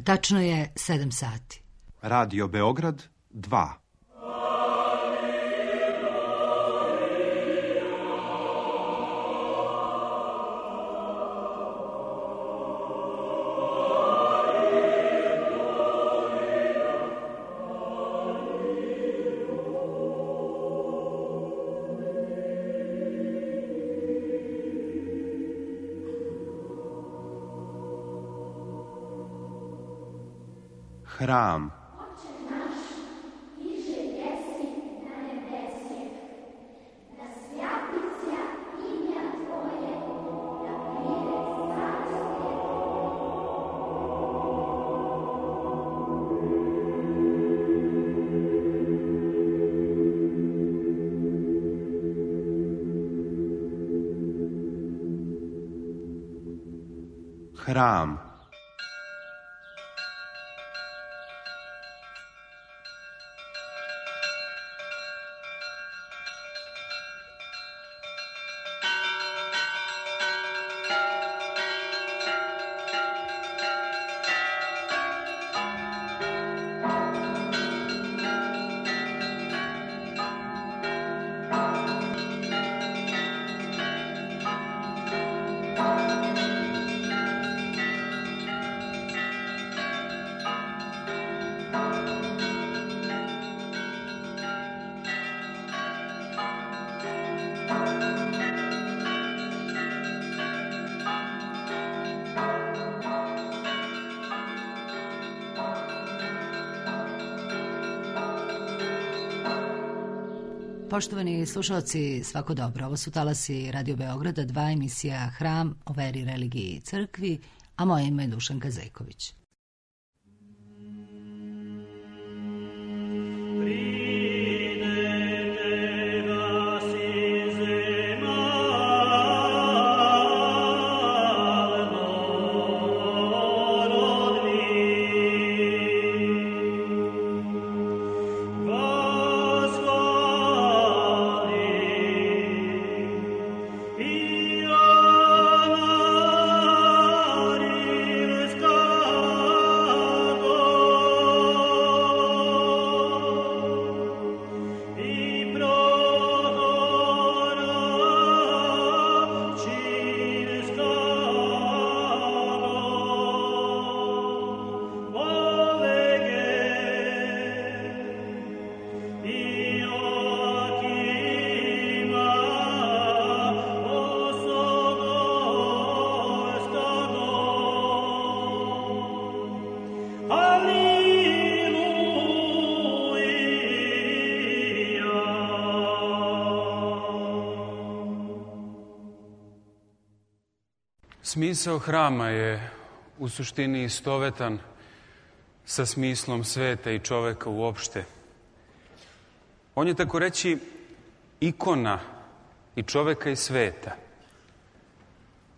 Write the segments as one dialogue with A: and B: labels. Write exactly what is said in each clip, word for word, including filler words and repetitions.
A: Tačno je sedam sati.
B: Radio Beograd dva. Hram. Hram.
A: Poštovani slušalci, svako dobro. Ovo su talasi Radio Beograda dva, emisija Hram o veri, religiji i crkvi, a moje ime je Dušanka Zejković.
C: Smisao hrama je u suštini istovetan sa smislom sveta i čoveka uopšte. On je, tako reći, ikona i čoveka i sveta.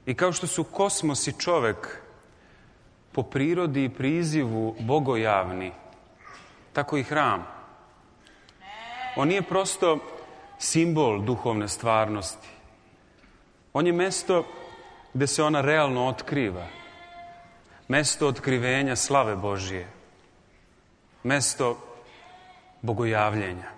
C: I kao što su kosmos i čovek po prirodi i prizivu bogojavni, tako i hram. On nije prosto simbol duhovne stvarnosti. On je mesto gde se ona realno otkriva. Mesto otkrivenja slave Božije. Mesto bogojavljenja.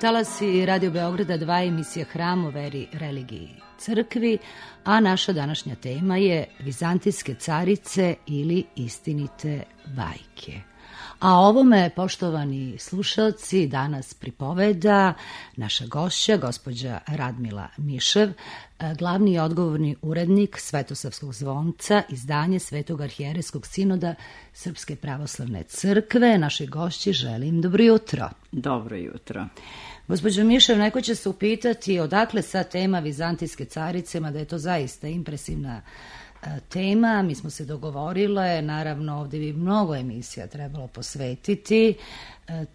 A: Talasi Radio Beograda dva, emisija Hram o veri, religiji i crkvi, a naša današnja tema je Vizantijske carice ili istinite bajke. A ovome, poštovani slušalci, danas pripoveda naša gošća, gospođa Radmila Mišev, glavni i odgovorni urednik Svetosavskog zvonca, izdanje Svetog arhijerejskog sinoda Srpske pravoslavne crkve. Našoj gošći želim dobro jutro.
D: Dobro jutro.
A: Gospođo Mišev, neko će se upitati odakle sad tema Vizantijske carice, mada je to zaista impresivna tema. Mi smo se dogovorile, naravno ovdje bi mnogo emisija trebalo posvetiti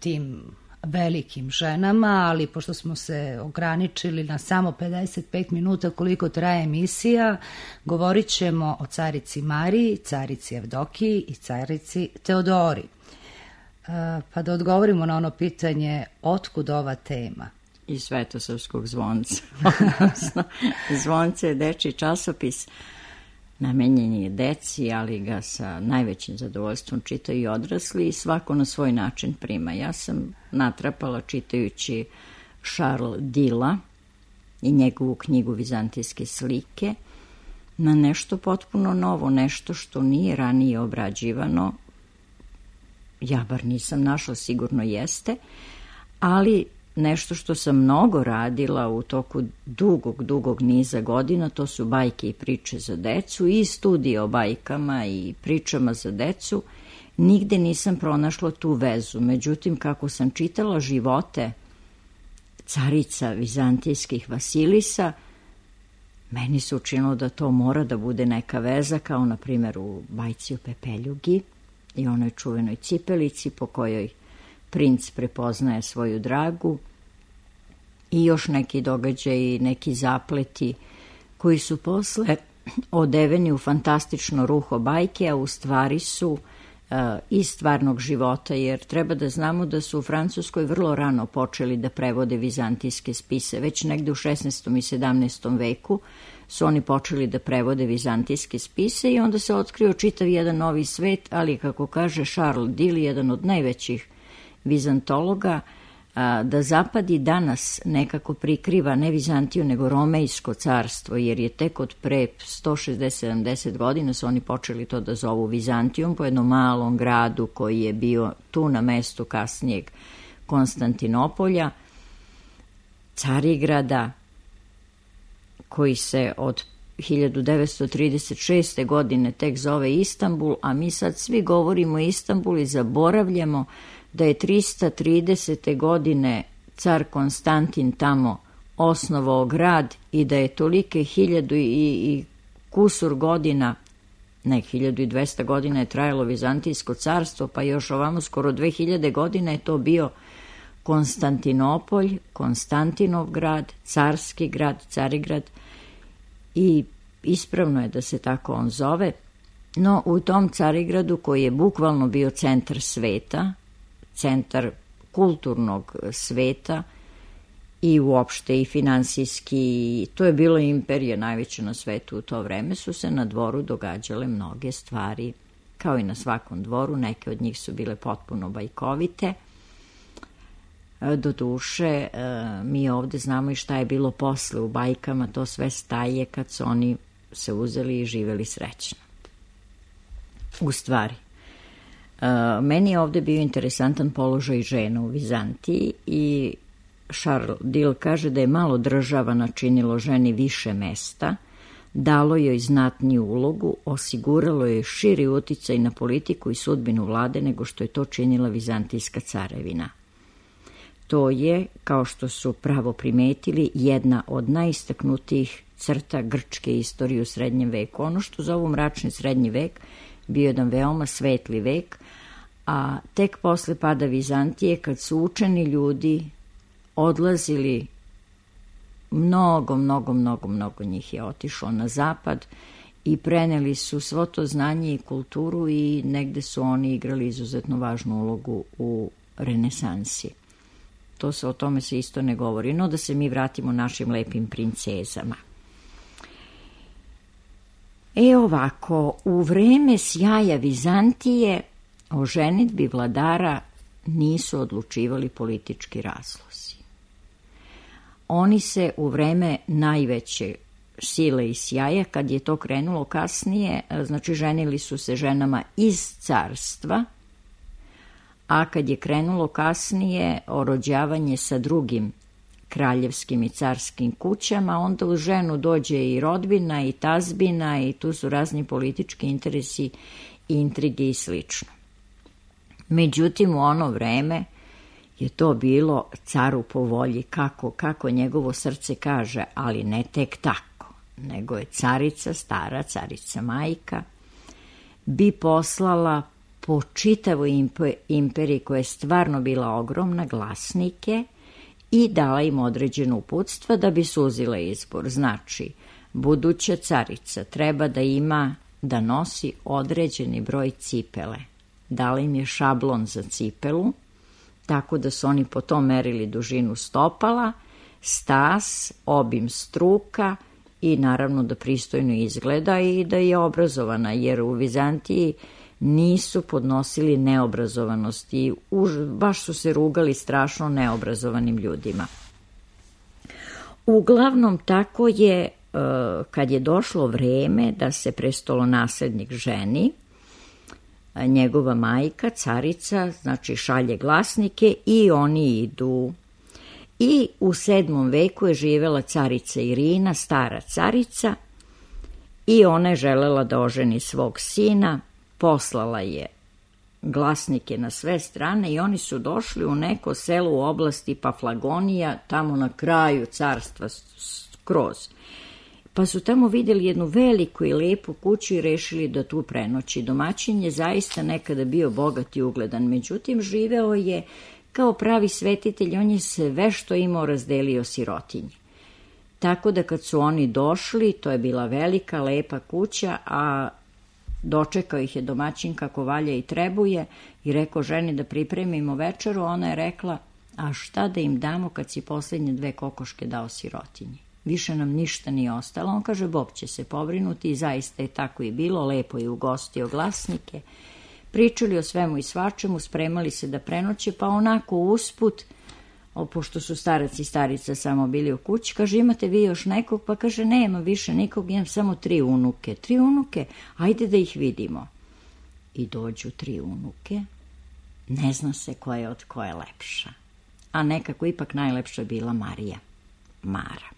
A: tim velikim ženama, ali pošto smo se ograničili na samo pedeset pet minuta koliko traje emisija, govorit ćemo o carici Mariji, carici Evdokiji i carici Teodori. Pa da odgovorimo na ono pitanje otkud ova tema.
D: Iz Svetosavskog zvonca. Odnosno, zvonce je dečiji časopis, namenjen je deci, ali ga sa najvećim zadovoljstvom čitaju i odrasli i svako na svoj način prima. Ja sam natrapala čitajući Charles Dilla i njegovu knjigu Vizantijske slike na nešto potpuno novo, nešto što nije ranije obrađivano. Ja bar nisam našla, sigurno jeste, ali nešto što sam mnogo radila u toku dugog, dugog niza godina, to su bajke i priče za decu i studije o bajkama i pričama za decu. Nigde nisam pronašla tu vezu. Međutim, kako sam čitala živote carica vizantijskih Vasilisa, meni se učinilo da to mora da bude neka veza, kao na primjer u bajci o Pepeljugi i onoj čuvenoj cipelici po kojoj princ prepoznaje svoju dragu i još neki događaji, neki zapleti koji su posle odeveni u fantastično ruho bajke, a u stvari su uh, iz stvarnog života, jer treba da znamo da su u Francuskoj vrlo rano počeli da prevode vizantijske spise. Već negde u šesnaestom i sedamnaestom veku su oni počeli da prevode vizantijske spise i onda se otkrio čitav jedan novi svet, ali kako kaže Charles Dill, jedan od najvećih vizantologa, da zapad i danas nekako prikriva ne Vizantiju nego Romejsko carstvo, jer je tek od pre sto šezdeset sedamdeset godina su oni počeli to da zovu Vizantijom, po jednom malom gradu koji je bio tu na mestu kasnijeg Konstantinopolja, Carigrada, koji se od hiljadu devetsto trideset šeste. godine tek zove Istanbul, a mi sad svi govorimo o Istanbulu i zaboravljamo da je trista tridesete. godine car Konstantin tamo osnovao grad i da je tolike hiljadu i, i kusur godina, ne, hiljadu i dvesta godina je trajalo Vizantijsko carstvo, pa još ovamo skoro dve hiljade godina je to bio Konstantinopolj, Konstantinov grad, carski grad, Carigrad, i ispravno je da se tako on zove. No u tom Carigradu, koji je bukvalno bio centar sveta, centar kulturnog sveta i uopšte i finansijski, to je bilo imperija najveća na svetu u to vreme, su se na dvoru događale mnoge stvari, kao i na svakom dvoru. Neke od njih su bile potpuno bajkovite. Doduše, mi ovde znamo i šta je bilo posle u bajkama, to sve staje kad su oni se uzeli i živeli srećno. U stvari, meni je ovde bio interesantan položaj žena u Vizantiji i Charles Dill kaže da je malo država načinilo ženi više mesta, dalo joj znatniju ulogu, osiguralo joj širi uticaj na politiku i sudbinu vlade nego što je to činila Vizantijska carevina. To je, kao što su pravo primetili, jedna od najistaknutijih crta grčke istorije u srednjem veku. Ono što zovu mračni srednji vek bio jedan veoma svetli vek, a tek posle pada Vizantije, kad su učeni ljudi odlazili, mnogo, mnogo, mnogo, mnogo njih je otišlo na zapad i preneli su svo to znanje i kulturu i negde su oni igrali izuzetno važnu ulogu u renesansi. To se, o tome se isto ne govori, no da se mi vratimo našim lepim princezama. E ovako, u vreme sjaja Vizantije o ženidbi vladara nisu odlučivali politički razlozi. Oni se u vreme najveće sile i sjaja, kad je to krenulo kasnije, znači ženili su se ženama iz carstva, a kad je krenulo kasnije orođavanje sa drugim kraljevskim i carskim kućama, onda u ženu dođe i rodbina i tazbina i tu su razni politički interesi, intrige i slično. Međutim, u ono vreme je to bilo caru po volji, kako, kako njegovo srce kaže, ali ne tek tako, nego je carica, stara carica majka, bi poslala po čitavoj imperiji, koja je stvarno bila ogromna, glasnike i dala im određeno uputstva da bi suzila izbor. Znači, buduća carica treba da ima, da nosi određeni broj cipele. Dala im je šablon za cipelu, tako da su oni po tom merili dužinu stopala, stas, obim struka i naravno da pristojno izgleda i da je obrazovana, jer u Vizantiji nisu podnosili neobrazovanost i už, baš su se rugali strašno neobrazovanim ljudima. Uglavnom, tako je, kad je došlo vreme da se prestolonaslednik ženi, njegova majka, carica, znači šalje glasnike i oni idu. I u sedmom veku je živela carica Irina, stara carica, i ona je želela da oženi svog sina, poslala je glasnike na sve strane i oni su došli u neko selo u oblasti Paflagonija, tamo na kraju carstva skroz. Pa su tamo vidjeli jednu veliku i lepu kuću i rešili da tu prenoći. Domaćin je zaista nekada bio bogat i ugledan, međutim živeo je kao pravi svetitelj, on je sve što imao razdelio sirotinji. Tako da kad su oni došli, to je bila velika, lepa kuća, a dočekao ih je domaćin kako valja i trebuje i rekao ženi da pripremimo večeru. Ona je rekla, a šta da im damo kad si posljednje dve kokoške dao sirotinji? Više nam ništa nije ostalo. On kaže, Bog će se pobrinuti, i zaista je tako i bilo. Lepo je ugostio glasnike, pričali o svemu i svačemu, spremali se da prenoće, pa onako usput, o, pošto su starac i starica samo bili u kući, kaže, imate vi još nekog? Pa kaže, nema više nikog, imam samo tri unuke. Tri unuke? Ajde da ih vidimo. I dođu tri unuke, ne zna se koja je od koje lepša, a nekako ipak najlepša je bila Marija, Mara.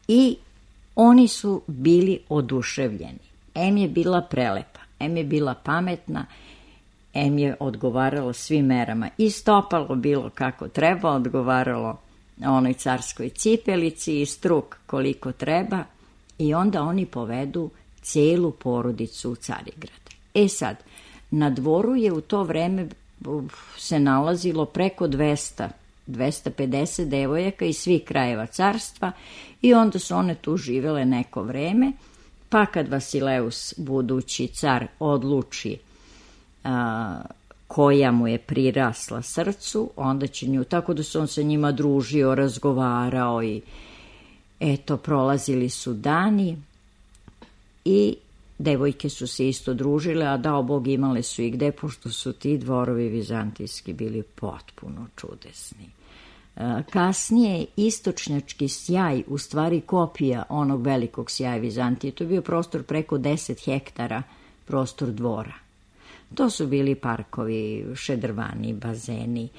D: I oni su bili oduševljeni. Em je bila prelepa, em je bila pametna, em je odgovaralo svim merama. I stopalo bilo kako treba, odgovaralo onoj carskoj cipelici i struk koliko treba. I onda oni povedu celu porodicu u Carigrad. E sad, na dvoru je u to vreme se nalazilo preko dvesta, dvesta pedeset devojaka iz svih krajeva carstva i onda su one tu živele neko vreme, pa kad Vasileus, budući car, odluči a, koja mu je prirasla srcu, onda će nju, tako da se on sa njima družio, razgovarao i eto, prolazili su dani i devojke su se isto družile, a dao Bog imale su i gde, pošto su ti dvorovi vizantijski bili potpuno čudesni. Kasnije istočnjački sjaj, u stvari kopija onog velikog sjaja Vizantije, to je bio prostor preko deset hektara, prostor dvora. To su bili parkovi, šedrvani, bazeni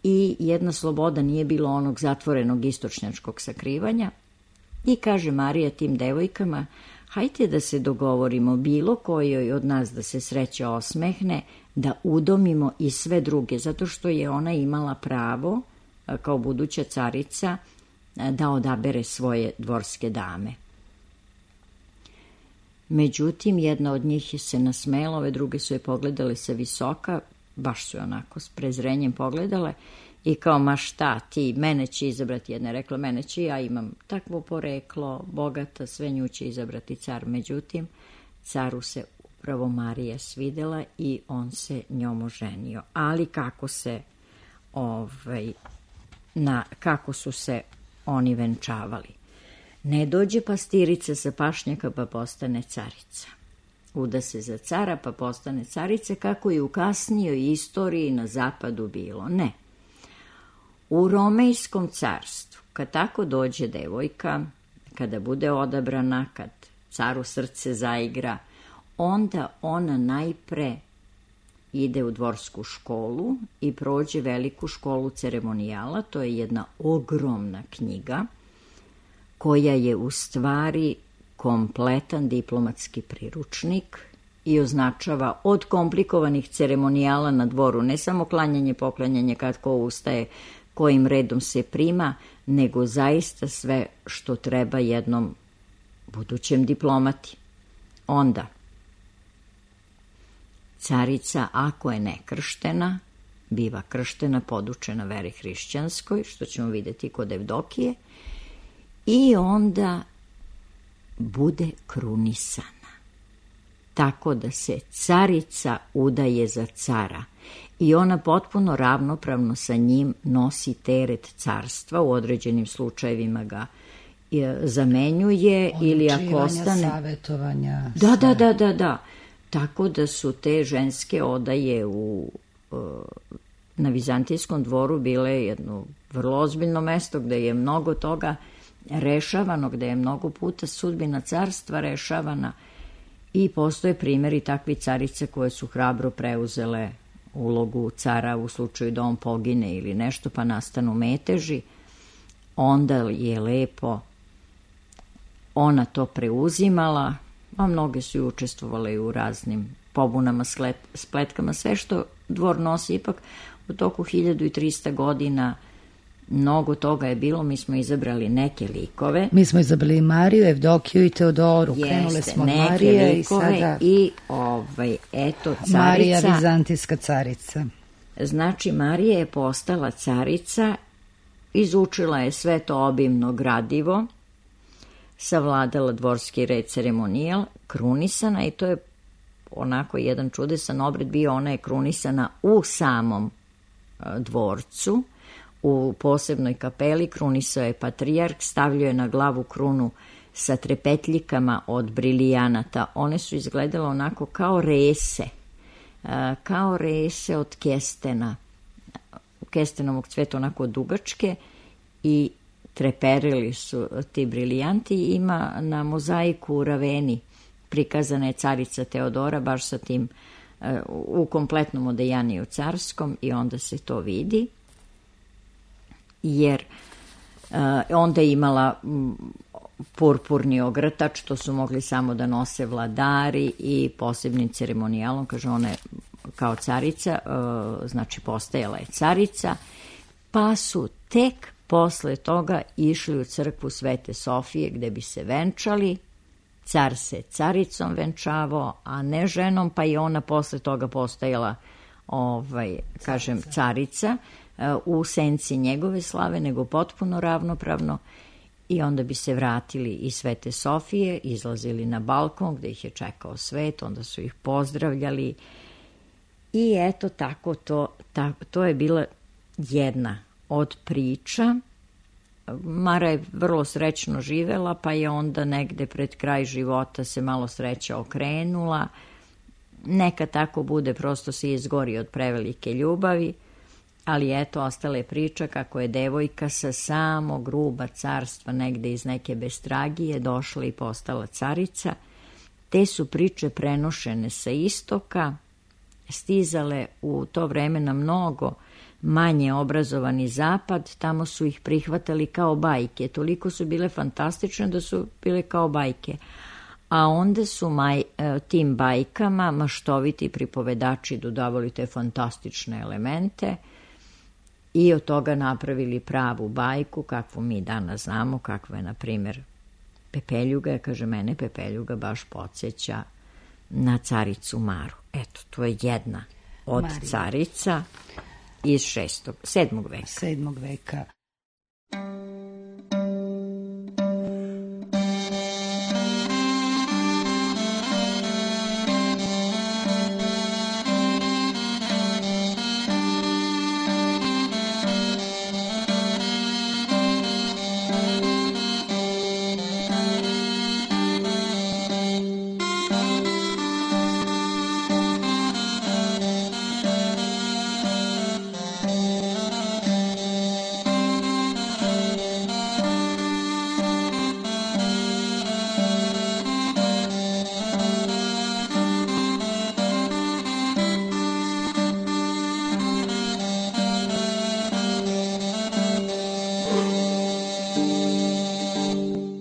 D: i jedna sloboda, nije bilo onog zatvorenog istočnjačkog sakrivanja. I kaže Marija tim devojkama, hajte da se dogovorimo, bilo kojoj od nas da se sreća osmehne, da udomimo i sve druge, zato što je ona imala pravo, kao buduća carica, da odabere svoje dvorske dame. Međutim, jedna od njih se nasmela, ove druge su je pogledale sa visoka, baš su je onako s prezrenjem pogledale i kao, ma šta ti, mene će izabrati, jedna je rekla, mene će, ja imam takvo poreklo, bogata, sve nju će izabrati car. Međutim, caru se upravo Marija svidela i on se njom oženio. Ali kako se, ovaj, na, kako su se oni venčavali? Ne dođe pastirica sa pašnjaka pa postane carica. Uda se za cara pa postane carica, kako je u kasnijoj istoriji na zapadu bilo. Ne. U Romejskom carstvu, kad tako dođe devojka, kada bude odabrana, kad caru srce zaigra, onda ona najpre ide u dvorsku školu i prođe veliku školu ceremonijala. To je jedna ogromna knjiga koja je u stvari kompletan diplomatski priručnik i označava od komplikovanih ceremonijala na dvoru, ne samo klanjanje, poklanjanje, kad ko ustaje, kojim redom se prima, nego zaista sve što treba jednom budućem diplomati. Onda, carica, ako je nekrštena, biva krštena, podučena veri hrišćanskoj, što ćemo vidjeti kod Evdokije, i onda bude krunisana. Tako da se carica udaje za cara i ona potpuno ravnopravno sa njim nosi teret carstva, u određenim slučajevima ga zamenjuje ili ako ostane...
A: savjetovanja.
D: Da, da, da, da, da. Tako da su te ženske odaje u, na Vizantijskom dvoru bile jedno vrlo ozbiljno mesto gde je mnogo toga rešavano, gde je mnogo puta sudbina carstva rešavana i postoje primjeri takvi carice koje su hrabro preuzele ulogu cara u slučaju da on pogine ili nešto pa nastanu meteži. Onda je lepo ona to preuzimala, a mnoge su i učestvovale u raznim pobunama, spletkama, sve što dvor nosi. Ipak u toku hiljadu trista godina mnogo toga je bilo, mi smo izabrali neke likove.
A: Mi smo izabrali Mariju, Evdokiju i Teodoru.
D: Jeste,
A: krenule smo od
D: neke
A: Marije
D: likove
A: i sada...
D: I ovaj, eto, carica...
A: Marija, vizantijska carica.
D: Znači, Marija je postala carica, izučila je sve to obimno gradivo, savladala dvorski red, ceremonijal, krunisana, i to je onako jedan čudesan obred bio. Ona je krunisana u samom dvorcu, u posebnoj kapeli. Krunisao je patrijarh, stavljao je na glavu krunu sa trepetljikama od brilijanata. One su izgledale onako kao rese, kao rese od kestena, kestenovog cveta, onako dugačke, i treperili su ti briljanti. Ima na mozaiku u Raveni prikazana je carica Teodora baš sa tim u kompletnom odejanju carskom, i onda se to vidi, jer uh, onda je imala m, purpurni ogrtač, to su mogli samo da nose vladari, i posebnim ceremonijalom, kaže, ona je kao carica, uh, znači postajala je carica, pa su tek posle toga išli u crkvu Svete Sofije gde bi se venčali. Car se caricom venčavao, a ne ženom, pa i ona posle toga postajala, ovaj, kažem, carica u senci njegove slave, nego potpuno ravnopravno. I onda bi se vratili iz Svete Sofije, izlazili na balkon gde ih je čekao svet, onda su ih pozdravljali. I eto, tako to, ta, to je bila jedna od priča. Mara je vrlo srećno živela, pa je onda negde pred kraj života se malo sreća okrenula. Neka tako bude, prosto se izgori od prevelike ljubavi, ali eto, ostala je priča kako je devojka sa samog ruba carstva, negde iz neke bestragije, došla i postala carica. Te su priče prenošene sa istoka, stizale u to vreme na mnogo manje obrazovani zapad, tamo su ih prihvatali kao bajke, toliko su bile fantastične da su bile kao bajke. A onda su maj, tim bajkama maštoviti pripovedači dodavali te fantastične elemente i od toga napravili pravu bajku, kakvu mi danas znamo, kakva je, na primjer, Pepeljuga. Kaže, mene Pepeljuga baš podsjeća na caricu Maru. Eto, to je jedna od Marija. Carica iz šestog, sedmog veka.
A: Sedmog veka.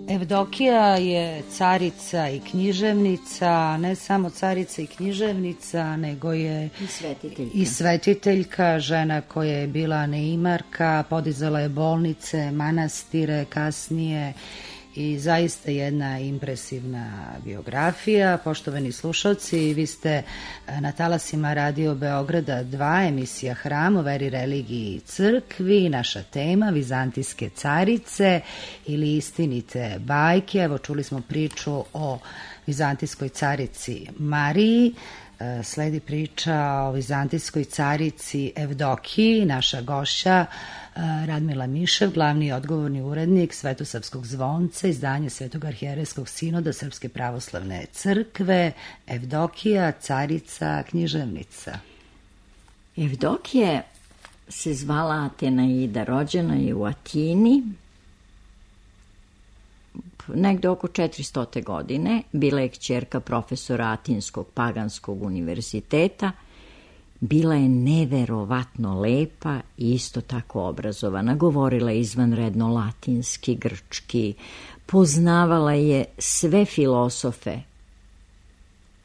A: Evdokija je carica i književnica, ne samo carica i književnica, nego je
D: i svetiteljka.
A: i svetiteljka, žena koja je bila neimarka, podizala je bolnice, manastire, kasnije i zaista jedna impresivna biografija. Poštovani slušalci, vi ste na talasima Radio Beograda dva, emisija Hram o veri, religiji i crkvi. Naša tema Vizantijske carice ili istinite bajke. Evo, čuli smo priču o vizantijskoj carici Mariji. Sledi priča o vizantijskoj carici Evdokiji. Naša gošća Radmila Mišev, glavni i odgovorni urednik Svetosavskog zvonca, izdanje Svetog arhijerejskog sinoda Srpske pravoslavne crkve. Evdokija, carica, književnica.
D: Evdokija se zvala Atenaida, rođena je u Atini negde oko četiristo. godine. Bila je kćerka profesora Atinskog paganskog univerziteta. Bila je neverovatno lepa i isto tako obrazovana. Govorila je izvanredno latinski, grčki. Poznavala je sve filosofe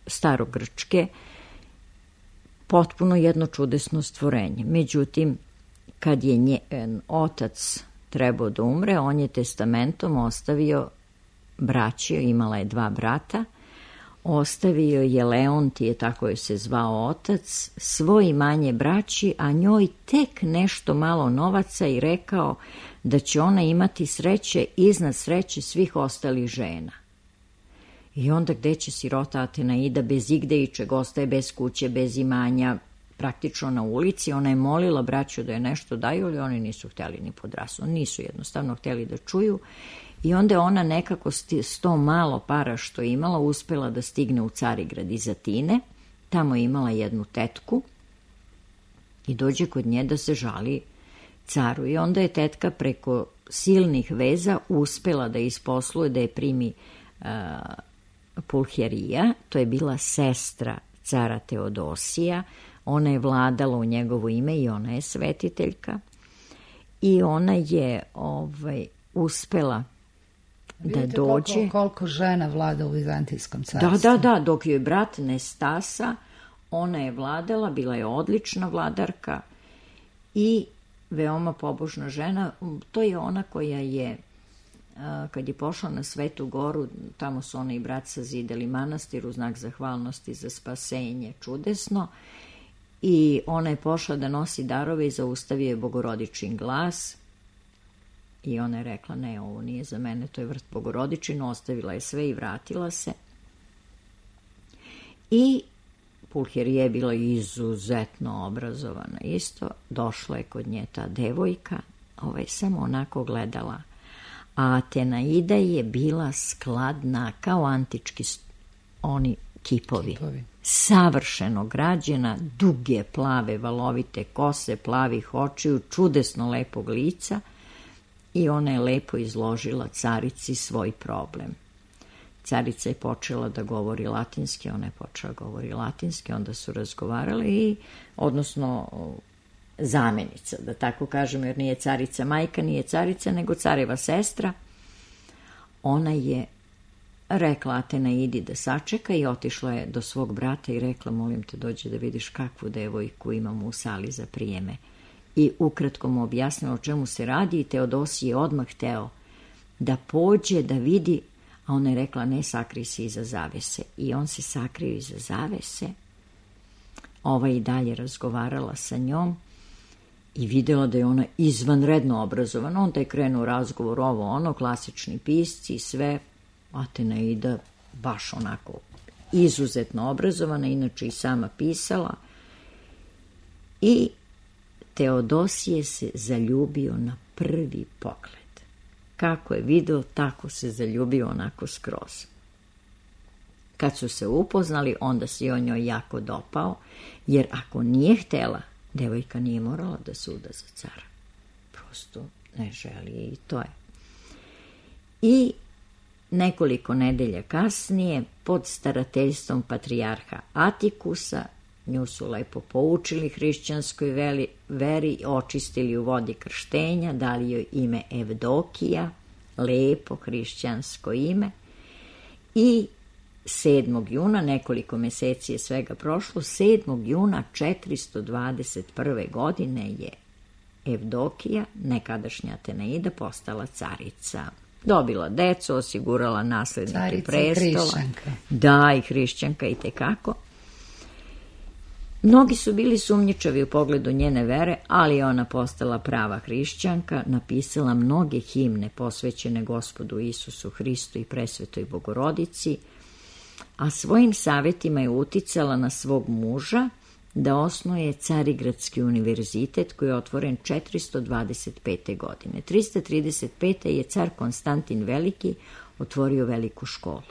D: starogrčke. Potpuno jedno čudesno stvorenje. Međutim, kad je njen otac trebao da umre, on je testamentom ostavio braći, imala je dva brata, ostavio je Leontije, tako je se zvao otac, svoj imanje braći, a njoj tek nešto malo novaca i rekao da će ona imati sreće iznad sreće svih ostalih žena. I onda gde će sirota Atenaida bez igde i čega ostaje, bez kuće, bez imanja, praktično na ulici. Ona je molila braću da je nešto daju, ali oni nisu htjeli ni podrasno, nisu jednostavno htjeli da čuju. I onda je ona nekako s to malo para što je imala uspela da stigne u Carigrad iz Atine. Tamo je imala jednu tetku i dođe kod nje da se žali caru. I onda je tetka preko silnih veza uspela da isposluje da je primi uh, Pulcherija, to je bila sestra cara Teodosija. Ona je vladala u njegovo ime i ona je svetiteljka. I ona je ovaj, uspela da
A: Vidite
D: dođe.
A: Koliko, koliko žena vlada u Vizantijskom carstvu.
D: Da, da, da, dok joj brat Nestasa, ona je vladala, bila je odlična vladarka i veoma pobožna žena. To je ona koja je, kad je pošla na Svetu Goru, tamo su ona i brat sazidali manastir u znak zahvalnosti za spasenje, čudesno. I ona je pošla da nosi darove i zaustavio je Bogorodičin glas. I ona je rekla, ne, ovo nije za mene, to je vrt Bogorodičin, ostavila je sve i vratila se. I Pulcherija je bila izuzetno obrazovana isto, došla je kod nje ta devojka, ova je samo onako gledala. A Atenaida je bila skladna kao antički oni kipovi. kipovi. Savršeno građena, duge, plave, valovite kose, plavih očiju, čudesno lepog lica. I ona je lepo izložila carici svoj problem. Carica je počela da govori latinski, ona je počela da govori latinski, onda su razgovarali i, odnosno, zamenica, da tako kažem, jer nije carica majka, nije carica, nego careva sestra. Ona je rekla Atenaidi da sačeka i otišla je do svog brata i rekla, molim te, dođi da vidiš kakvu devojku imamo u sali za prijeme. I ukratko mu objasnila o čemu se radi i Teodosije je odmah hteo da pođe, da vidi, a ona je rekla, ne, sakri se iza zavese. I on se sakrio iza zavese. Ova i dalje razgovarala sa njom i videla da je ona izvanredno obrazovana. Onda je krenuo razgovor ovo, ono, klasični pisci i sve. Atenaida baš onako izuzetno obrazovana, inače i sama pisala. I Teodosije se zaljubio na prvi pogled. Kako je video, tako se zaljubio onako skroz. Kad su se upoznali, onda se on njoj jako dopao, jer ako nije htela, devojka nije morala da se uda za cara. Prosto ne želi i to je. I nekoliko nedelja kasnije, pod starateljstvom patrijarha Atikusa, nju su lepo poučili hrišćanskoj veri, veri, očistili u vodi krštenja, dali joj ime Evdokija, lepo hrišćansko ime. I sedmog juna, nekoliko meseci je svega prošlo, sedmog juna četiristo dvadeset prve. godine je Evdokija, nekadašnja Atenaida, postala carica Dobila decu, osigurala naslednike
A: Carica
D: prestola.
A: I hrišćanka.
D: Da, i hrišćanka i tekako. Mnogi su bili sumnjičavi u pogledu njene vere, ali je ona postala prava hrišćanka, napisala mnoge himne posvećene Gospodu Isusu Hristu i Presvetoj Bogorodici, a svojim savjetima je uticala na svog muža da osnuje Carigradski univerzitet koji je otvoren četiristo dvadeset pete. godine. trista trideset pete. je car Konstantin Veliki otvorio veliku školu.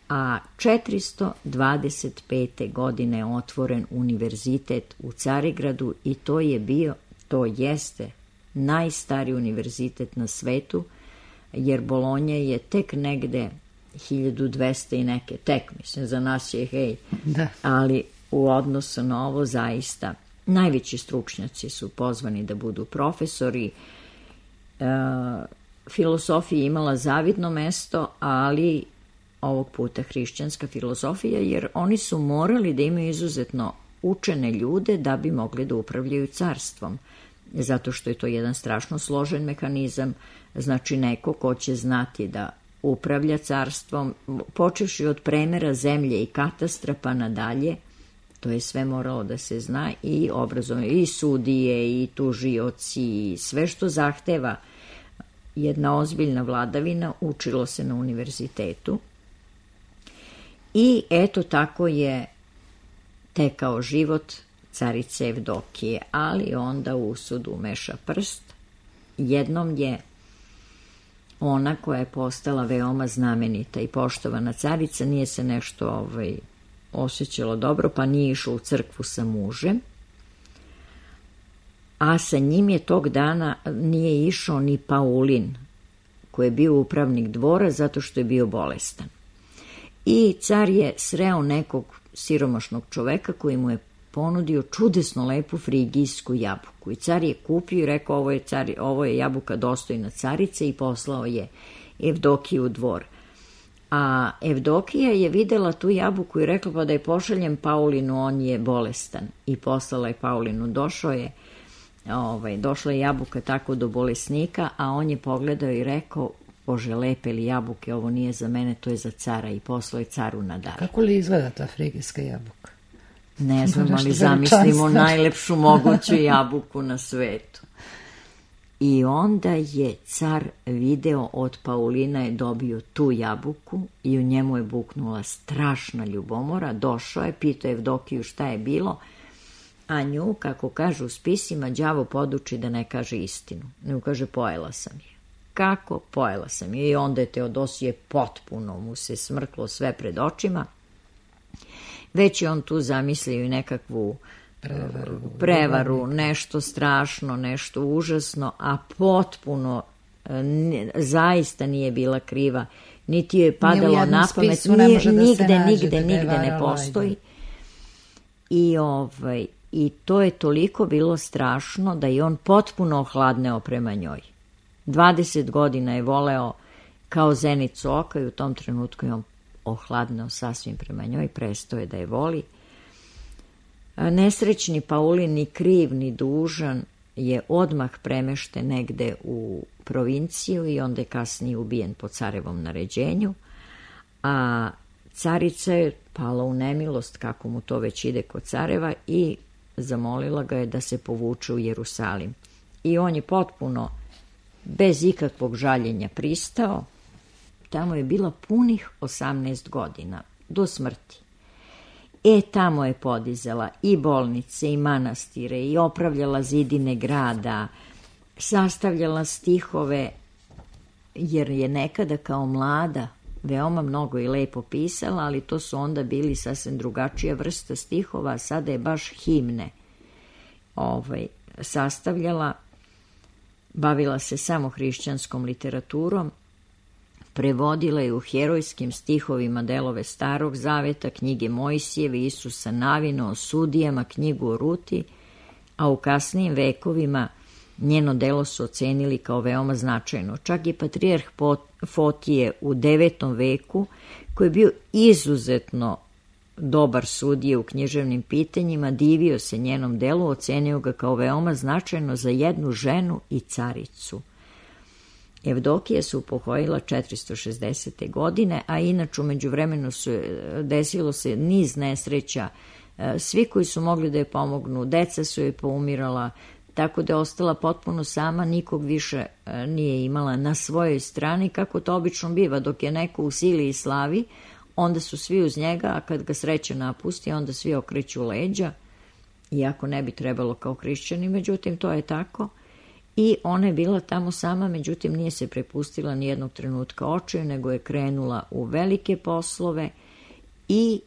D: A četiristo dvadeset pete. godine je otvoren univerzitet u Carigradu i to je bio, to jeste najstariji univerzitet na svetu, jer Bolonja je tek negde hiljadu dvesta i neke, tek mislim, za nas je hej,
A: da.
D: Ali u odnosu na ovo zaista najveći stručnjaci su pozvani da budu profesori. E, filosofija je imala zavidno mesto, ali ovog puta hrišćanska filozofija, jer oni su morali da imaju izuzetno učene ljude da bi mogli da upravljaju carstvom, zato što je to jedan strašno složen mehanizam, znači neko ko će znati da upravlja carstvom, počevši od premera zemlje i katastra pa nadalje, to je sve moralo da se zna, i obrazovanje, i sudije, i tužioci, i sve što zahteva jedna ozbiljna vladavina, učilo se na univerzitetu. I eto tako je tekao život carice Evdokije, ali onda u usud umeša prst. Jednom je ona koja je postala veoma znamenita i poštovana carica, nije se nešto ovaj, osjećalo dobro, pa nije išla u crkvu sa mužem, a sa njim je tog dana nije išao ni Paulin, koji je bio upravnik dvora zato što je bio bolestan. I car je sreo nekog siromašnog čoveka koji mu je ponudio čudesno lepu frigijsku jabuku. I car je kupio i rekao, ovo je, car, ovo je jabuka dostojna carice, i poslao je Evdokiju u dvor. A Evdokija je videla tu jabuku i rekla, pa da je pošaljem Paulinu, on je bolestan. I poslala je Paulinu, došao je, ovaj, došla je jabuka tako do bolesnika, a on je pogledao i rekao, Bože, lepe li jabuke, ovo nije za mene, to je za cara, i poslao je caru na dar.
A: Kako li izgleda ta frigijska jabuka?
D: Ne znam, ali zamislimo najlepšu moguću jabuku na svetu. I onda je car video od Paulina, je dobio tu jabuku i u njemu je buknula strašna ljubomora. Došao je, pitao Evdokiju šta je bilo, a nju, kako kažu u spisima, đavo poduči da ne kaže istinu. Nju kaže, pojela sam je. Kako? Pojela sam je. I onda je Teodosije potpuno mu se smrklo sve pred očima. Već je on tu zamislio i nekakvu prevaru, prevaru, nešto strašno, nešto užasno, a potpuno ne, zaista nije bila kriva, niti je padalo na pamet, nije, nigde, da nigde, nigde ne postoji. I, ovaj, I to je toliko bilo strašno da je on potpuno ohladneo prema njoj. dvadeset godina je voleo kao zenicu oka i u tom trenutku je on ohladneo sasvim prema njoj, prestao je da je voli. Nesrećni Paulin, ni kriv ni dužan, je odmah premešten negde u provinciju i onda je kasnije ubijen po carevom naređenju, a carica je pala u nemilost, kako mu to već ide kod careva, i zamolila ga je da se povuče u Jerusalim. I on je potpuno bez ikakvog žaljenja pristao. Tamo je bila punih osamnaest godina, do smrti. E, tamo je podizala i bolnice, i manastire, i opravljala zidine grada, sastavljala stihove, jer je nekada kao mlada veoma mnogo i lepo pisala, ali to su onda bili sasvim drugačija vrsta stihova, a sada je baš himne ovaj, sastavljala. Bavila se samo hrišćanskom literaturom, prevodila je u herojskim stihovima delove Starog zaveta, knjige Mojsijeve, Isusa Navina, o sudijama, knjigu o Ruti, a u kasnijim vekovima njeno delo su ocenili kao veoma značajno. Čak i patrijarh Fotije u devetom veku, koji je bio izuzetno dobar sudije u književnim pitanjima, divio se njenom delu, ocenio ga kao veoma značajno za jednu ženu i caricu. Evdokija se upokojila četiristo šezdesete. godine, a inače u međuvremenu su, desilo se niz nesreća. Svi koji su mogli da je pomognu, deca su joj poumirala, tako da je ostala potpuno sama, nikog više nije imala na svojoj strani, kako to obično biva, dok je neko u sili i slavi, onda su svi uz njega, a kad ga sreća napusti, onda svi okreću leđa, iako ne bi trebalo kao hrišćani, međutim to je tako. I ona je bila tamo sama, međutim nije se prepustila ni jednog trenutka očaju, nego je krenula u velike poslove i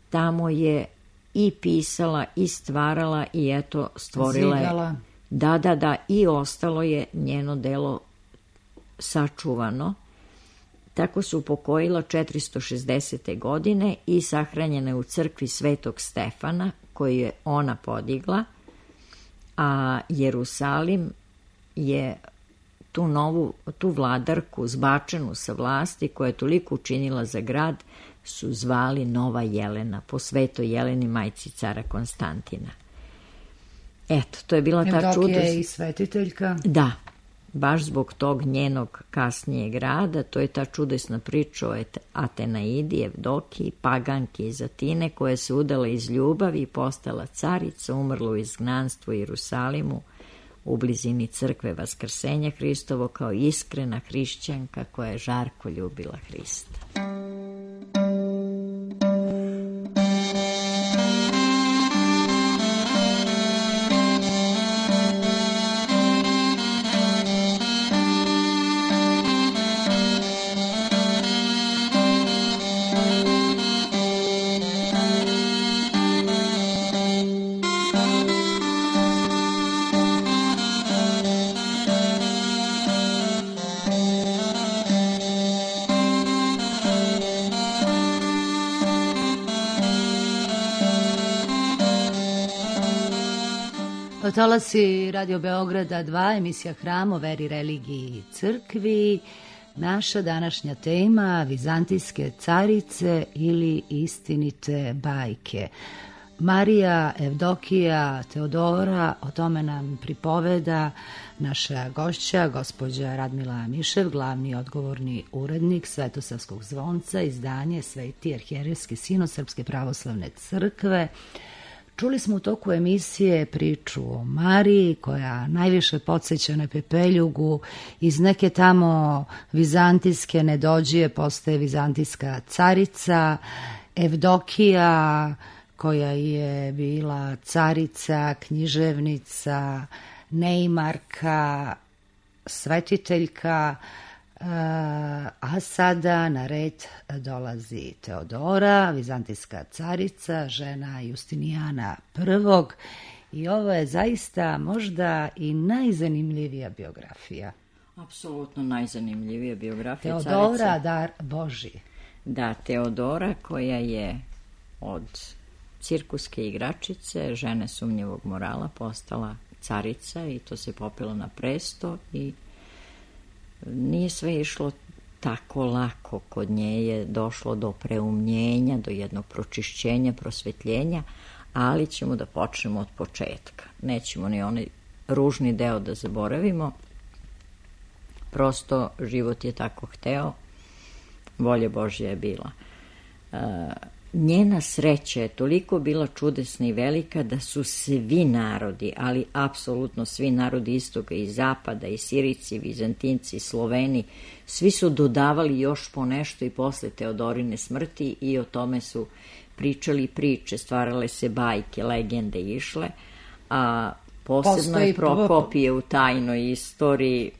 D: tamo je i pisala i stvarala i eto stvorila je.
A: Zidala.
D: Da, da, da, i ostalo je njeno delo sačuvano. Tako se upokojila četiristo šezdesete. godine i sahranjena je u crkvi Svetog Stefana, koju je ona podigla, a Jerusalim je tu novu, tu vladarku zbačenu sa vlasti, koja je toliko učinila za grad, su zvali Nova Jelena, po Svetoj Jeleni, majci cara Konstantina. Eto, to je bila ta čudo.
A: Evdokija je i svetiteljka.
D: Da, baš zbog tog njenog kasnijeg rada, to je ta čudesna priča o Atenaidi, Evdokiji, paganki iz Atine, koja se udala iz ljubavi i postala carica, umrla u izgnanstvu u Jerusalimu, u blizini crkve Vaskrsenja Hristovo, kao iskrena hrišćanka koja je žarko ljubila Hrista.
A: Talasi Radio Beograda dva, emisija Hram o veri, religiji i crkvi. Naša današnja tema, vizantijske carice ili istinite bajke. Marija, Evdokija, Teodora, o tome nam pripoveda naša gošća, gospođa Radmila Mišev, glavni odgovorni urednik Svetosavskog zvonca, izdanje Sveti arhijerejski sinod Srpske pravoslavne crkve. Čuli smo u toku emisije priču o Mariji, koja najviše podsjeća na Pepeljugu. Iz neke tamo vizantijske nedođije postaje vizantijska carica. Evdokija, koja je bila carica, književnica, neimarka, svetiteljka, a sada na red dolazi Teodora, vizantijska carica, žena Justinijana prvog. I ovo je zaista možda i najzanimljivija biografija.
D: Apsolutno najzanimljivija biografija
A: Teodora,
D: carice.
A: dar Božji.
D: Da, Teodora, koja je od cirkuske igračice, žene sumnjivog morala, postala carica i to se popelo na presto i nije sve išlo tako lako. Kod nje je došlo do preumnjenja, do jednog pročišćenja, prosvetljenja, ali ćemo da počnemo od početka. Nećemo ni onaj ružni deo da zaboravimo. Prosto život je tako hteo, volja Božja je bila. E, njena sreća je toliko bila čudesna i velika da su svi narodi, ali apsolutno svi narodi istoga i zapada, i Sirici, i Vizantinci, i Sloveni, svi su dodavali još po nešto i posle Teodorine smrti i o tome su pričali priče, stvarale se bajke, legende išle, a posebno je Prokopije u tajnoj istoriji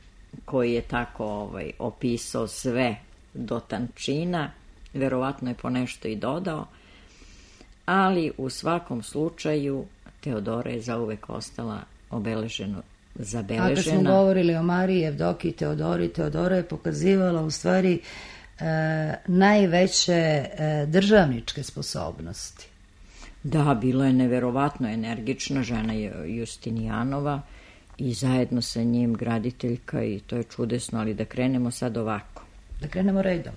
D: koji je tako ovaj, opisao sve do tančina, verovatno je po nešto i dodao, ali u svakom slučaju Teodora je zauvek ostala obeleženo, zabeležena.
A: A kad smo govorili o Mariji, Evdokiji, Teodori, Teodora je pokazivala u stvari e, najveće e, državničke sposobnosti.
D: Da, bila je neverovatno energična, žena je Justinijanova i zajedno sa njim graditeljka i to je čudesno, ali da krenemo sad ovako.
A: Da krenemo redom.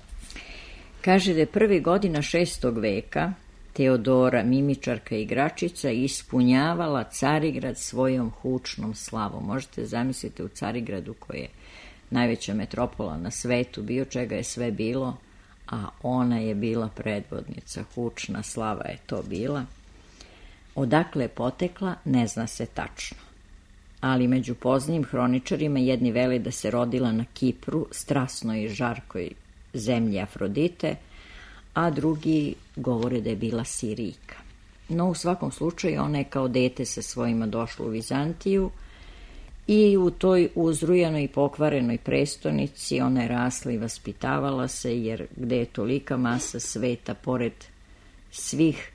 D: Kaže da je prvi godina šestog veka Teodora, mimičarka i igračica, ispunjavala Carigrad svojom hučnom slavom. Možete zamisliti u Carigradu koji je najveća metropola na svetu, bio čega je sve bilo, a ona je bila predvodnica, hučna slava je to bila. Odakle je potekla, ne zna se tačno. Ali među poznijim hroničarima jedni vele da se rodila na Kipru, strasnoj i žarkoj zemlji Afrodite, a drugi govore da je bila Sirijka. No, u svakom slučaju, ona je kao dete sa svojima došla u Vizantiju i u toj uzrujanoj i pokvarenoj prestonici ona je rasla i vaspitavala se, jer gde je tolika masa sveta, pored svih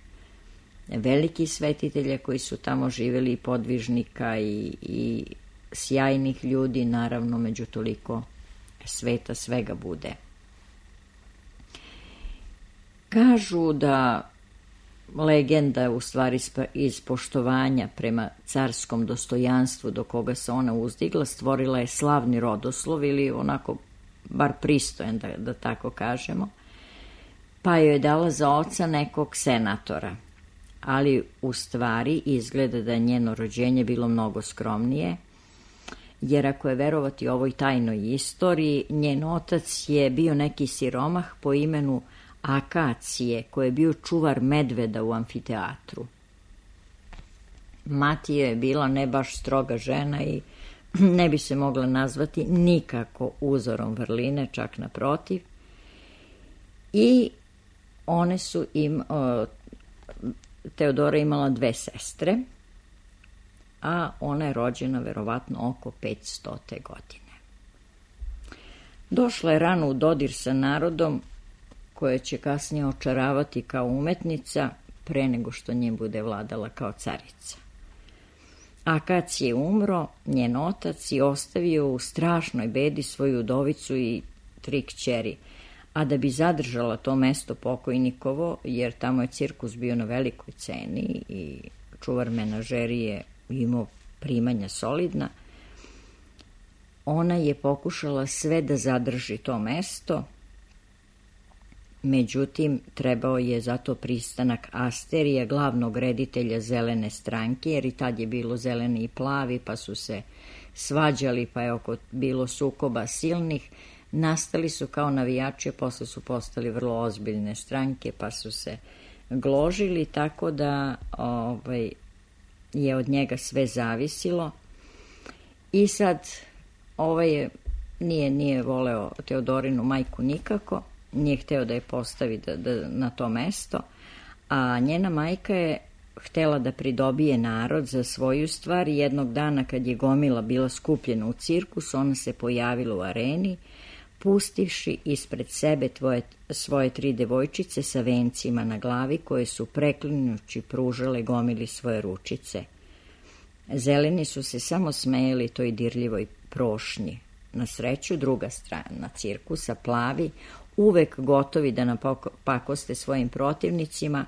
D: velikih svetitelja koji su tamo živjeli, podvižnika i, i sjajnih ljudi, naravno među toliko sveta svega bude. Kažu da legenda u stvari iz poštovanja prema carskom dostojanstvu do koga se ona uzdigla stvorila je slavni rodoslov, ili onako bar pristojan, da, da tako kažemo, pa joj je dala za oca nekog senatora. Ali u stvari izgleda da je njeno rođenje bilo mnogo skromnije, jer ako je verovati ovoj tajnoj istoriji, njen otac je bio neki siromah po imenu Akacije, koji je bio čuvar medveda u amfiteatru. Mati je bila ne baš stroga žena i ne bi se mogla nazvati nikako uzorom vrline, čak naprotiv. I one su im... O, Teodora imala dve sestre, a ona je rođena verovatno oko petstote godine. Došla je rano u dodir sa narodom, koje će kasnije očaravati kao umetnica, pre nego što nje bude vladala kao carica. Akacije je umro, njen otac, i ostavio u strašnoj bedi svoju udovicu i tri kćeri, a da bi zadržala to mesto pokojnikovo, jer tamo je cirkus bio na velikoj ceni i čuvar menažerije imao primanja solidna, ona je pokušala sve da zadrži to mesto, međutim trebao je zato pristanak Asterija, glavnog reditelja Zelene stranke, jer i tad je bilo zeleni i plavi, pa su se svađali, pa je oko bilo sukoba silnih. Nastali su kao navijači, posle su postali vrlo ozbiljne stranke, pa su se gložili, tako da ovaj, je od njega sve zavisilo. I sad ovaj je, nije, nije voleo Teodorinu majku nikako, nije hteo da je postavi da, da, na to mesto, a njena majka je htela da pridobije narod za svoju stvar. Jednog dana kad je gomila bila skupljena u cirkus, ona se pojavila u areni, pustivši ispred sebe tvoje, svoje tri devojčice sa vencima na glavi, koje su preklinjući pružale gomili svoje ručice. Zeleni su se samo smejali toj dirljivoj prošnji. Na sreću, druga strana cirkusa, plavi, uvek gotovi da napakoste svojim protivnicima,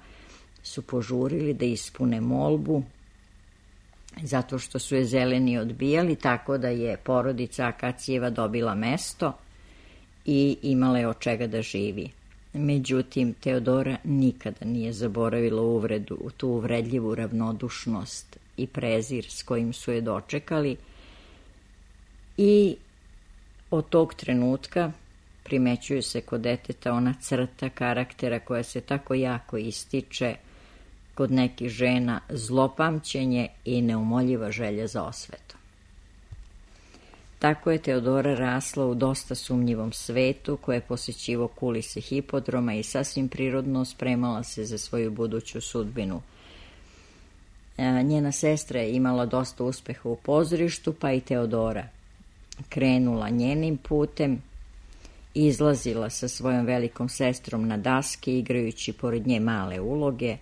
D: su požurili da ispune molbu, zato što su je zeleni odbijali, tako da je porodica Akacijeva dobila mesto i imala je od čega da živi. Međutim, Teodora nikada nije zaboravila uvredu, tu uvredljivu ravnodušnost i prezir s kojim su je dočekali, i od tog trenutka primećuju se kod deteta ona crta karaktera koja se tako jako ističe kod nekih žena, zlopamćenje i neumoljiva želja za osvetom. Tako je Teodora rasla u dosta sumnjivom svetu, koje je posećivo kulise hipodroma i sasvim prirodno spremala se za svoju buduću sudbinu. Njena sestra je imala dosta uspeha u pozorištu, pa i Teodora krenula njenim putem, izlazila sa svojom velikom sestrom na daske, igrajući pored nje male uloge,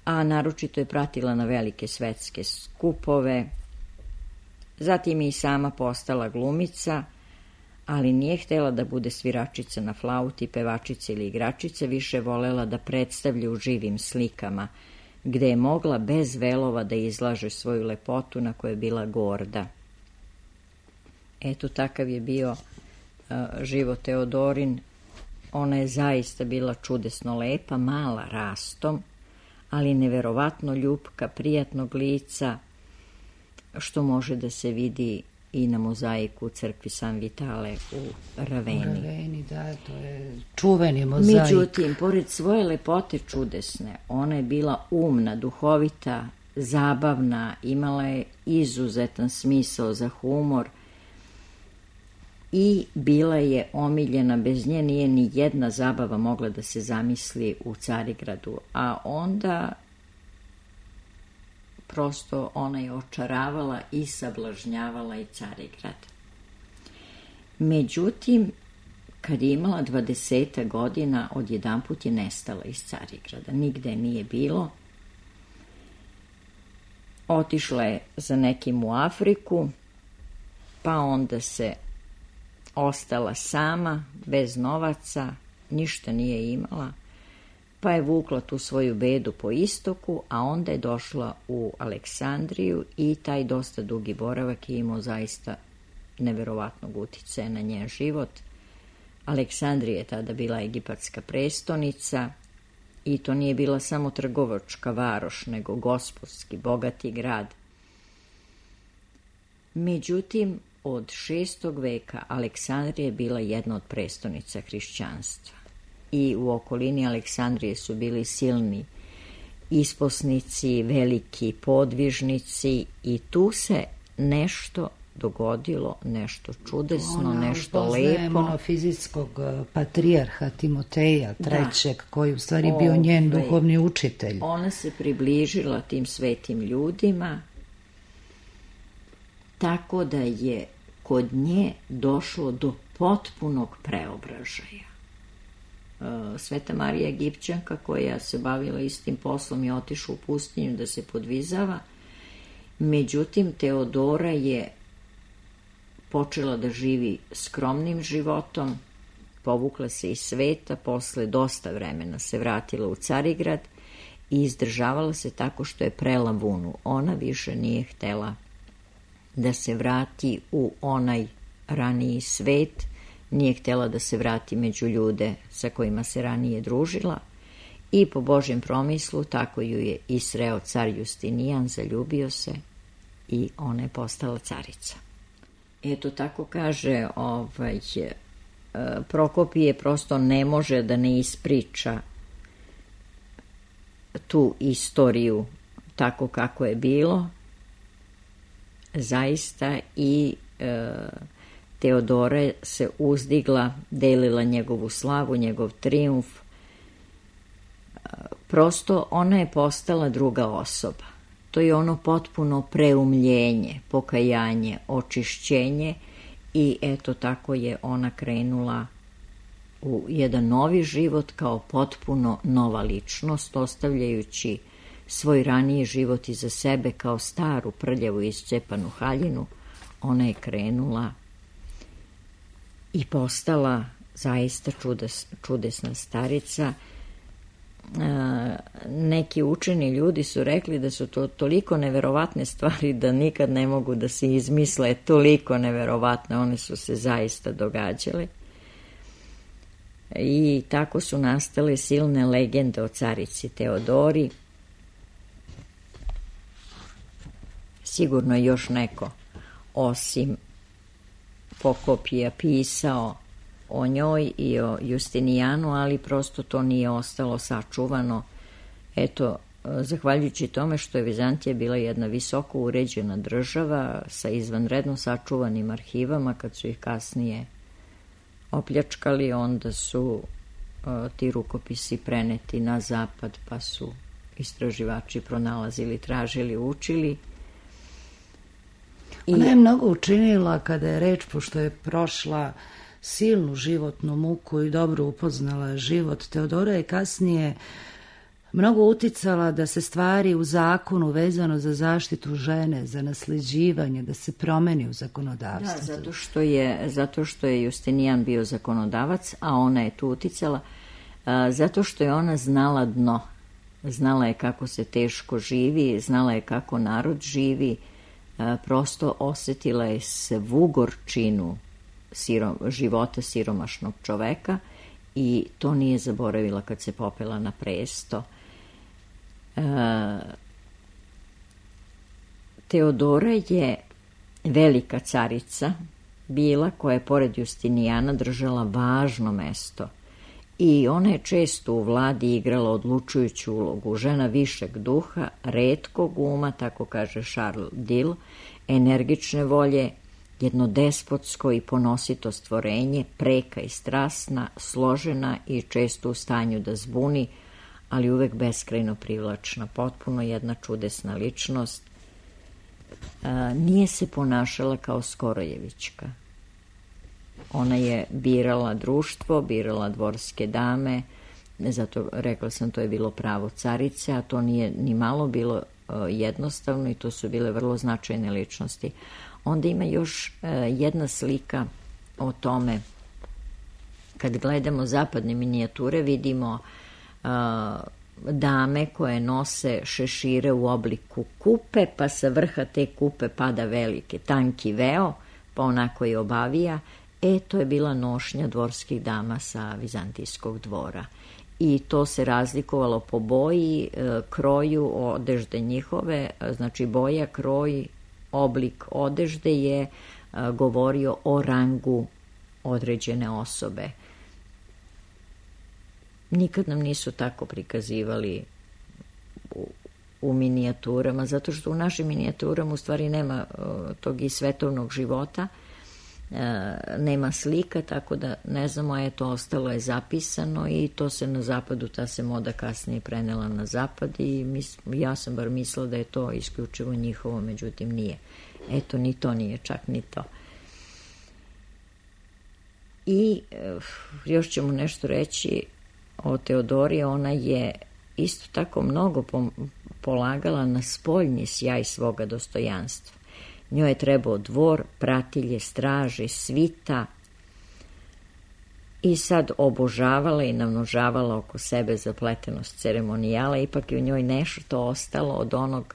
D: a naročito je pratila na velike svetske skupove. Zatim je i sama postala glumica, ali nije htjela da bude sviračica na flauti, pevačica ili igračica, više volela da predstavlja u živim slikama, gde je mogla bez velova da izlaže svoju lepotu na kojoj je bila gorda. Eto, takav je bio uh, život Teodorin. Ona je zaista bila čudesno lepa, mala rastom, ali neverovatno ljupka, prijatnog lica, što može da se vidi i na mozaiku u crkvi San Vitale u Raveni.
A: U Raveni, da, to je čuveni mozaik.
D: Međutim, pored svoje lepote čudesne, ona je bila umna, duhovita, zabavna, imala je izuzetan smisao za humor i bila je omiljena, bez nje nije ni jedna zabava mogla da se zamisli u Carigradu, a onda prosto ona je očaravala i sablažnjavala i Carigrad. Međutim, kad je imala dvadeseta godina, odjedanput je nestala iz Carigrada, nigde nije bilo. Otišla je za nekim u Afriku, pa onda se ostala sama, bez novaca, ništa nije imala, pa je vukla tu svoju bedu po istoku, a onda je došla u Aleksandriju i taj dosta dugi boravak je imao zaista neverovatnog uticaja na njen život. Aleksandrija je tada bila egipatska prestonica i to nije bila samo trgovačka varoš, nego gospodski, bogati grad. Međutim, od šestog veka Aleksandrija je bila jedna od prestonica hrišćanstva i u okolini Aleksandrije su bili silni isposnici, veliki podvižnici i tu se nešto dogodilo, nešto čudesno,
A: Ona,
D: nešto
A: upoznajemo
D: lepo.
A: monofizijskog patrijarha Timoteja trećeg,
D: Da.
A: koji u stvari bio njen
D: Ovaj,
A: duhovni učitelj.
D: Ona se približila tim svetim ljudima, tako da je kod nje došlo do potpunog preobražaja. Sveta Marija Egipćanka, koja se bavila istim poslom, je otišla u pustinju da se podvizava. Međutim, Teodora je počela da živi skromnim životom, povukla se iz sveta, posle dosta vremena se vratila u Carigrad i izdržavala se tako što je prela vunu. Ona više nije htela da se vrati u onaj raniji svet, nije htjela da se vrati među ljude sa kojima se ranije družila i po Božjem promislu tako ju je i sreo car Justinijan, zaljubio se i ona je postala carica. Eto, tako kaže ovaj, Prokopije, prosto ne može da ne ispriča tu istoriju tako kako je bilo, zaista, i e, Teodora se uzdigla, delila njegovu slavu, njegov trijumf. Prosto ona je postala druga osoba. To je ono potpuno preumljenje, pokajanje, očišćenje i eto tako je ona krenula u jedan novi život kao potpuno nova ličnost, ostavljajući svoj raniji život iza sebe kao staru, prljavu i iscepanu haljinu. Ona je krenula i postala zaista čudes, čudesna starica. E, neki učeni ljudi su rekli da su to toliko neverovatne stvari da nikad ne mogu da se izmisle, toliko neverovatne, one su se zaista događale. I tako su nastale silne legende o carici Teodori. Sigurno je još neko osim Prokopija pisao o njoj i o Justinijanu, ali prosto to nije ostalo sačuvano. Eto, zahvaljujući tome što je Vizantija bila jedna visoko uređena država sa izvanredno sačuvanim arhivama, kad su ih kasnije opljačkali, onda su uh, ti rukopisi preneti na zapad, pa su istraživači pronalazili, tražili, učili. I...
A: Ona je mnogo učinila kada je reč, pošto je prošla silnu životnu muku i dobro upoznala život. Teodora je kasnije mnogo uticala da se stvari u zakonu vezano za zaštitu žene, za nasljeđivanje, da se promeni u zakonodavstvu.
D: Da, zato što je, zato što je Justinijan bio zakonodavac, a ona je tu uticala, a, zato što je ona znala dno. Znala je kako se teško živi, znala je kako narod živi, a, prosto osjetila je svu gorčinu sirom, života siromašnog čoveka i to nije zaboravila kad se popela na presto. E, Teodora je velika carica bila, koja je pored Justinijana držala važno mesto. I ona je često u vladi igrala odlučujuću ulogu. Žena višeg duha, retkog uma, tako kaže Charles Dill, energične volje, jedno despotsko i ponosito stvorenje, preka i strasna, složena i često u stanju da zbuni, ali uvek beskrajno privlačna, potpuno jedna čudesna ličnost. A, nije se ponašala kao Skorojevićka. Ona je birala društvo, birala dvorske dame, zato rekla sam, to je bilo pravo carice, a to nije ni malo bilo jednostavno i to su bile vrlo značajne ličnosti. Onda ima još jedna slika o tome. Kad gledamo zapadne minijature, vidimo dame koje nose šešire u obliku kupe, pa sa vrha te kupe pada velike, tanki veo, pa onako je obavija. E, to je bila nošnja dvorskih dama sa vizantijskog dvora. I to se razlikovalo po boji, kroju odežde njihove, znači boja, kroj, oblik odežde je govorio o rangu određene osobe. Nikad nam nisu tako prikazivali u, u minijaturama, zato što u našim minijaturama u stvari nema tog i svetovnog života, nema slika, tako da ne znamo, je to ostalo je zapisano i to se na zapadu, ta se moda kasnije prenela na zapad i mis, ja sam bar mislila da je to isključivo njihovo, međutim nije. Eto, ni to nije, čak ni to. I još ćemo nešto reći o Teodori. Ona je isto tako mnogo polagala na spoljni sjaj svoga dostojanstva. Njoj je trebao dvor, pratilje, straže, svita i sad obožavala i namnožavala oko sebe zapletenost ceremonijala. Ipak je u njoj nešto ostalo od onog,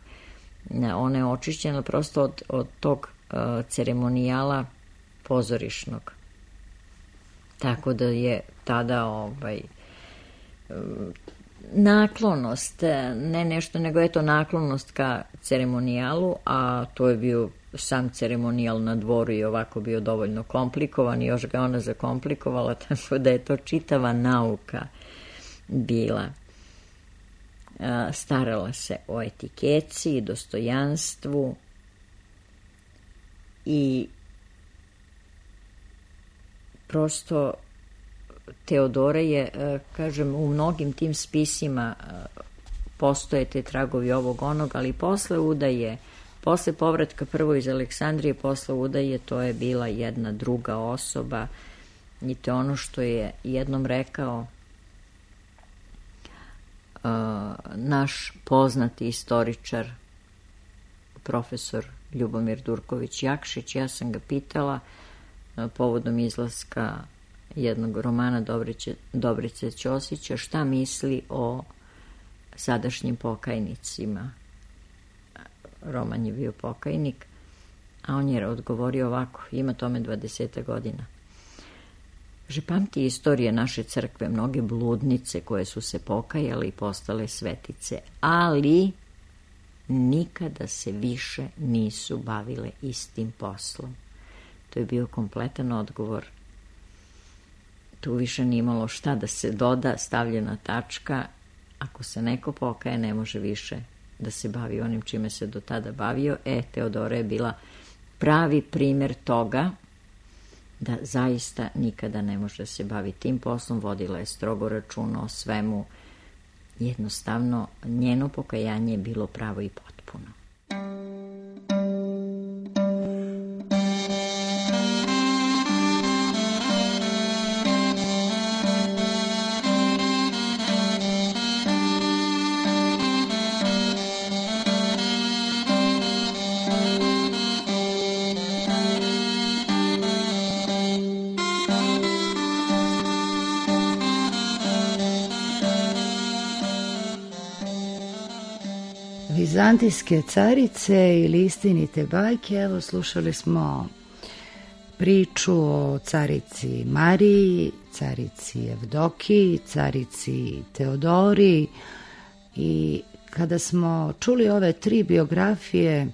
D: ona je očišćena prosto od, od tog uh, ceremonijala pozorišnog. Tako da je tada ovaj, naklonost, ne nešto, nego je to naklonost ka ceremonijalu, a to je bio sam ceremonijal na dvoru i ovako bio dovoljno komplikovan i još ga ona zakomplikovala, tako da je to čitava nauka bila. Starala se o etikeci, dostojanstvu i prosto Teodora je, kažem, u mnogim tim spisima postoje te tragovi ovog onog, ali posle udaje, posle povratka prvo iz Aleksandrije, posle udaje, to je bila jedna druga osoba i to je ono što je jednom rekao uh, naš poznati istoričar, profesor Ljubomir Durković-Jakšić. Ja sam ga pitala uh, povodom izlaska jednog romana Dobrice, Dobrice Ćosića, šta misli o sadašnjim pokajnicima. Roman je bio pokajnik, a on je odgovorio ovako, ima tome dvadeset godina. Že pamti istorije naše crkve, mnoge bludnice koje su se pokajale i postale svetice, ali nikada se više nisu bavile istim poslom. To je bio kompletan odgovor. Tu više nije imalo šta da se doda, stavljena tačka. Ako se neko pokaje, ne može više da se bavi onim čime se do tada bavio. E, Teodora je bila pravi primjer toga da zaista nikada ne može da se bavi tim poslom. Vodila je strogo računa o svemu. Jednostavno, njeno pokajanje je bilo pravo i potpuno.
A: Vizantijske carice ili istinite bajke. Evo, slušali smo priču o carici Mariji, carici Evdokiji, carici Teodori, i kada smo čuli ove tri biografije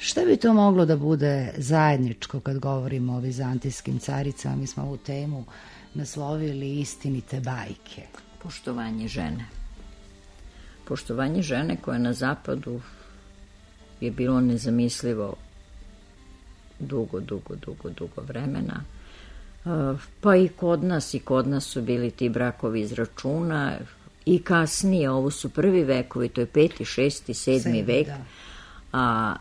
A: Šta bi to moglo da bude zajedničko kad govorimo o vizantijskim caricama? Mi smo ovu temu naslovili istinite bajke.
D: Poštovanje žene. Poštovanje žene koje na zapadu je bilo nezamislivo dugo, dugo, dugo, dugo vremena. Pa i kod nas, i kod nas su bili ti brakovi iz računa i kasnije, ovo su prvi vekovi, to je peti, šesti, sedmi vek, da. A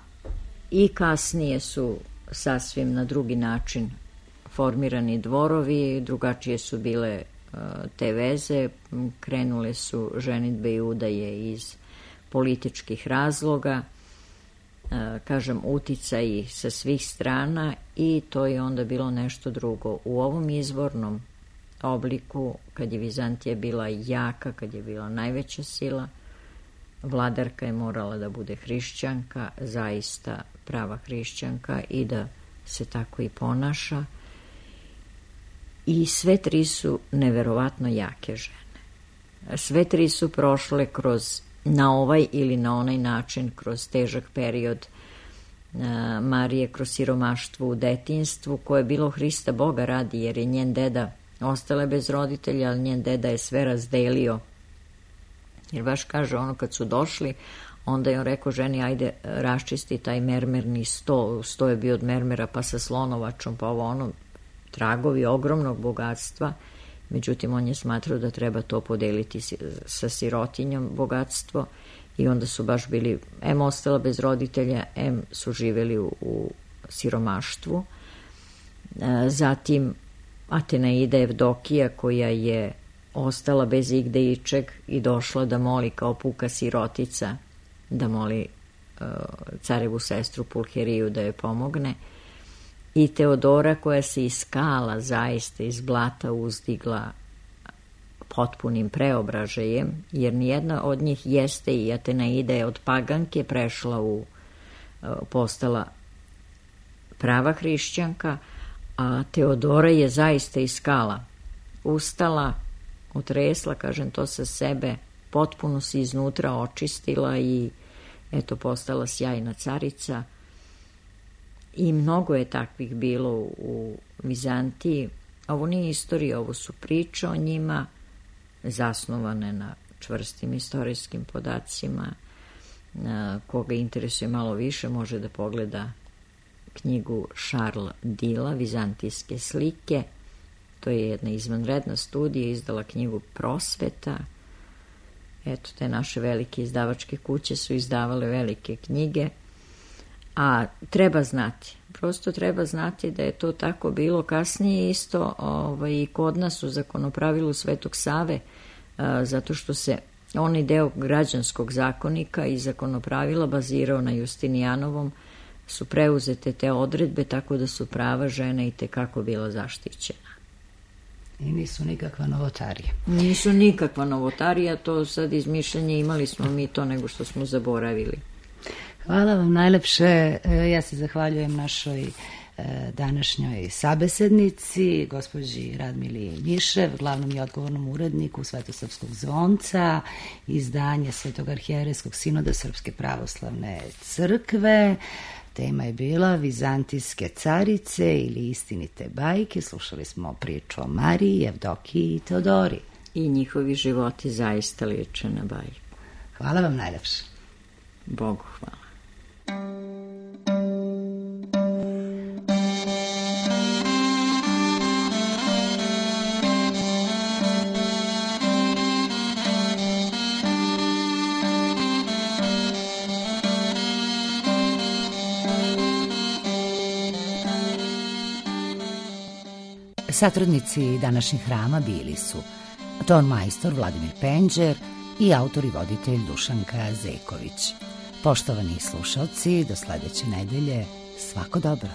D: i kasnije su sasvim na drugi način formirani dvorovi, drugačije su bile uh, te veze, krenule su ženidbe i udaje iz političkih razloga, uh, kažem, uticaji sa svih strana i to je onda bilo nešto drugo. U ovom izvornom obliku, kad je Vizantija bila jaka, kad je bila najveća sila, vladarka je morala da bude hrišćanka, zaista prava hrišćanka i da se tako i ponaša. I sve tri su neverovatno jake žene. Sve tri su prošle kroz, na ovaj ili na onaj način, kroz težak period Marije, kroz siromaštvo u detinjstvu, koje je bilo Hrista Boga radi, jer je njen deda ostala bez roditelja, ali njen deda je sve razdelio. Jer baš kaže, ono kad su došli, onda je on rekao ženi, ajde raščisti taj mermerni sto, sto je bio od mermera, pa sa slonovačom, pa ovo ono, tragovi ogromnog bogatstva. Međutim, on je smatrao da treba to podeliti sa sirotinjom bogatstvo i onda su baš bili, em ostala bez roditelja, em su živeli u, u siromaštvu. Zatim Atenaida Evdokija, koja je ostala bez igde ičeg i došla da moli kao puka sirotica, da moli uh, carevu sestru Pulheriju da joj pomogne. I Teodora, koja se iz skala, zaista iz blata uzdigla potpunim preobražajem, jer nijedna od njih jeste i Atenaida je od paganke prešla u, uh, postala prava hrišćanka, a Teodora je zaista iz skala ustala, utresla, kažem to sa sebe, potpuno se iznutra očistila i eto postala sjajna carica. I mnogo je takvih bilo u Vizantiji. Ovo nije istorija, ovo su priče o njima, zasnovane na čvrstim istorijskim podacima. Koga interesuje malo više može da pogleda knjigu Charles Dila, Vizantijske slike. To je jedna izvanredna studija, izdala knjigu Prosveta. Eto, te naše velike izdavačke kuće su izdavale velike knjige. A treba znati, prosto treba znati da je to tako bilo. Kasnije isto ovaj, i kod nas u zakonopravilu Svetog Save, a, zato što se onaj deo građanskog zakonika i zakonopravila bazirao na Justinijanovom, su preuzete te odredbe, tako da su prava žene i tekako bila zaštićena.
A: I nisu nikakva novotarija.
D: Nisu nikakva novotarija, to sad izmišljanje, imali smo mi to nego što smo zaboravili.
A: Hvala vam najlepše. Ja se zahvaljujem našoj današnjoj sabesednici, gospođi Radmili Njišev, glavnom i odgovornom uredniku Svetosavskog zvonca, izdanje Svetog arhijerejskog sinoda Srpske pravoslavne crkve. Tema je bila Vizantijske carice ili istinite bajke. Slušali smo priču o Mariji, Evdokiji i Teodori.
D: I njihovi životi zaista liče na bajku.
A: Hvala vam najlepše.
D: Bogu hvala.
A: Satrodnici današnjih hrama bili su ton majstor Vladimir Penđer i autor i voditelj Dušanka Zeković. Poštovani slušalci, do sledeće nedelje, svako dobro.